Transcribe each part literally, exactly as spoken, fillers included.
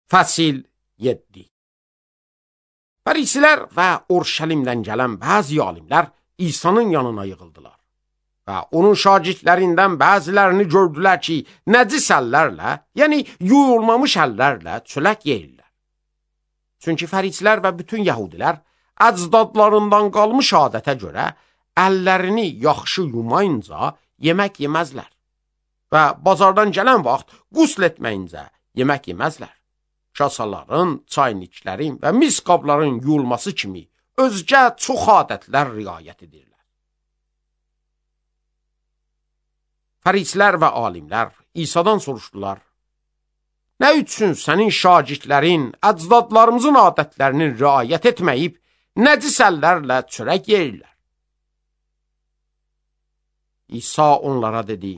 Fəsil yeddi. Fərisilər və Urşəlimdən gələn bəzi alimlər İsa'nın yanına yığıldılar və onun şagirdlərindən bəzilərini gördülər ki, nəcis əllərlə, yəni yuyulmamış əllərlə çörək yeyirlər. Çünki fərisilər və bütün yəhudilər əcdadlarından qalmış adətə görə əllərini yaxşı yumayınca yemək yeməzlər və bazardan gələn vaxt qusl etməyincə yemək yeməzlər. Kasaların, çayniklərin və mis qabların yuyulması kimi özgə çox adətlər riayət edirlər. Fərisilər və alimlər İsa'dan soruşdular: Nə üçün sənin şagirdlərin əcdadlarımızın adətlərinin riayət etməyib, nəcis əllərlə çörək yeyirlər? İsa onlara dedi: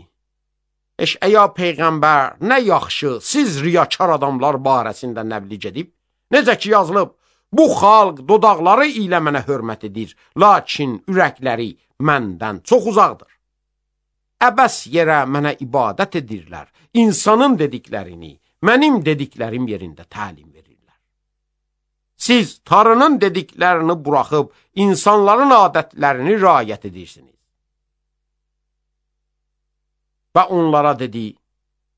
Eşəya peyğəmbər nə yaxşı siz riyakar adamlar barəsində nəbliğ edib, necə ki yazılıb, bu xalq dodaqları ilə mənə hörmət edir, lakin ürəkləri məndən çox uzaqdır. Əbəs yerə mənə ibadət edirlər, insanın dediklərini mənim dediklərim yerində təlim verirlər. Siz Tanrının dediklərini buraxıb insanların adətlərini riayət edirsiniz. Və onlara dedi: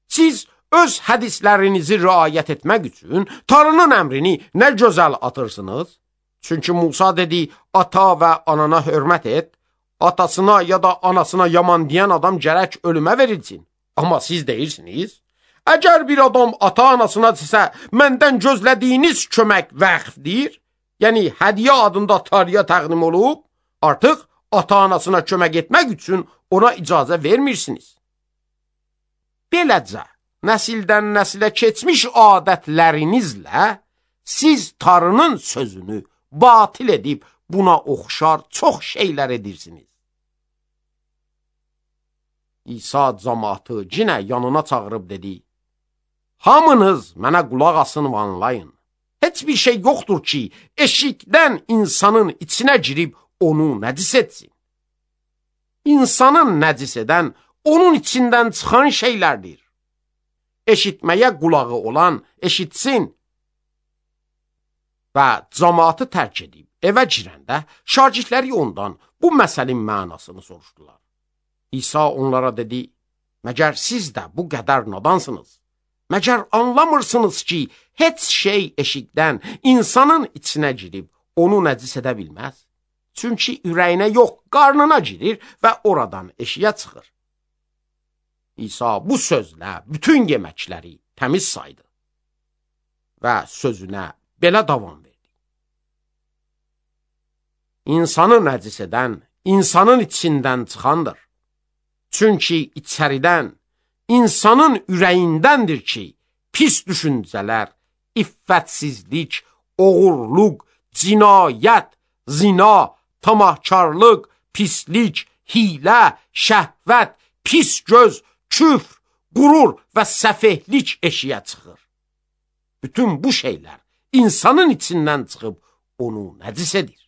Siz öz hədislərinizi riayət etmək üçün Tanrının əmrini nə gözəl atırsınız? Çünki Musa dedi: Ata və anana hörmət et, atasına ya da anasına yaman deyən adam gərək ölümə verilsin. Amma siz deyirsiniz: Əgər bir adam ata-anasına desə, məndən gözlədiyiniz kömək vəqfdir, yəni hədiyə adında Tanrıya təqdim olub, artıq ata-anasına kömək etmək üçün ona icazə vermirsiniz. Beləcə, nəsildən nəsilə keçmiş adətlərinizlə siz Tanrının sözünü batil edib buna oxşar çox şeylər edirsiniz. İsa cəmaatı yenə yanına çağırıb dedi: Hamınız mənə qulaq asın və anlayın. Heç bir şey yoxdur ki, eşikdən insanın içinə girib onu nəcis etsin. İnsanın nəcis edən onun içindən çıxan şeylərdir. Eşitməyə qulağı olan eşitsin. Və cəmaatı tərk edib evə girəndə şagirdləri ondan bu məsəlin mənasını soruşdular. İsa onlara dedi: Məgər siz də bu qədər nadansınız? Məgər anlamırsınız ki, heç şey eşikdən insanın içinə girib onu nəcis edə bilməz? Çünki ürəyinə yox, qarnına girir və oradan eşiyə çıxır. İsa bu sözlə bütün yeməkləri təmiz saydı və sözünə belə davam verdi: İnsanı nəcis edən insanın içindən çıxandır. Çünki içəridən, insanın ürəyindəndir ki, pis düşüncələr, iffətsizlik, oğurluq, cinayət, zina, tamahkarlıq, pislik, hilə, şəhvət, pis göz, küfr, qurur və səfehlik eşiyə çıxır. Bütün bu şeylər insanın içindən çıxıb onu nəcis edir.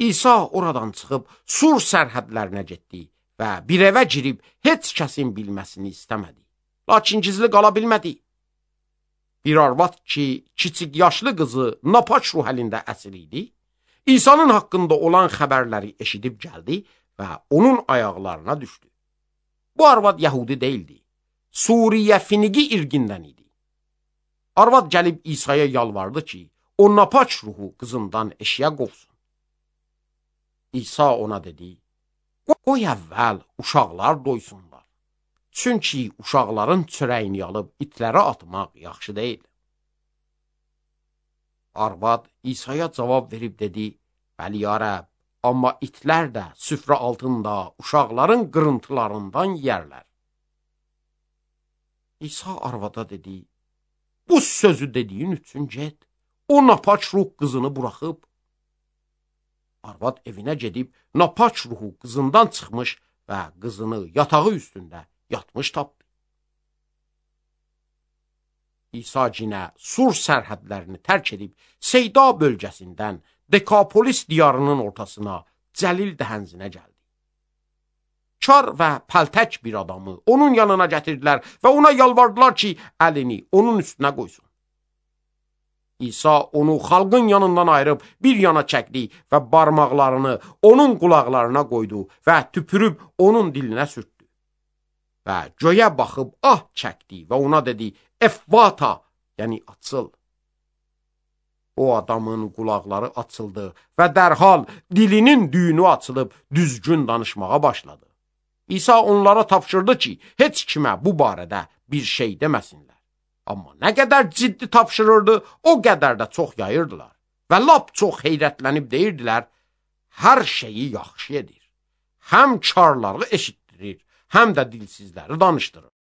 İsa oradan çıxıb Sur sərhədlərinə getdi və bir evə girib heç kəsin bilməsini istəmədi. Lakin gizli qala bilmədi. Bir arvad ki, kiçik yaşlı qızı napaç ruh əlində əsir idi, İsa'nın haqqında olan xəbərləri eşidib gəldi və onun ayaqlarına düşdü. Bu arvad Yəhudi deyildi, Suriyə Finigi irqindən idi. Arvad gəlib İsa'ya yalvardı ki, o napaç ruhu qızından eşiyə qovsun. İsa ona dedi: Qoy əvvəl uşaqlar doysunlar. Çünki uşaqların çörəyini alıb itlərə atmaq yaxşı deyil. Arvad İsa'ya cavab verib dedi: Bəli, ya Rəbb, amma itlər də süfrə altında uşaqların qırıntılarından yərlər. İsa arvada dedi: Bu sözü dediyin üçün get, o napaç ruh qızını buraxıb. Arvad evinə gedib napaç ruhu qızından çıxmış və qızını yatağı üstündə yatmış tapdı. İsa cinə Sur sərhədlərini tərk edib Seyda bölgəsindən Dekapolis diyarının ortasına Cəlil dəhənzinə gəldi. kar və pəltək bir adamı onun yanına gətirdilər və ona yalvardılar ki, əlini onun üstünə qoysun. İsa onu xalqın yanından ayırıb bir yana çəkdi və barmaqlarını onun qulaqlarına qoydu və tüpürüb onun dilinə sürtdü. Və göyə baxıb ah çəkdi və ona dedi, Effata, yəni açıl. O adamın qulaqları açıldı və dərhal dilinin düyünü açılıb düzgün danışmağa başladı. İsa onlara tapşırdı ki, heç kimə bu barədə bir şey deməsinlər. Amma nə qədər ciddi tapşırırdı, o qədər də çox yayırdılar. Və lap çox heyrətlənib deyirdilər, hər şeyi yaxşı edir. Həm karları eşitdirir, həm də dilsizləri danışdırır.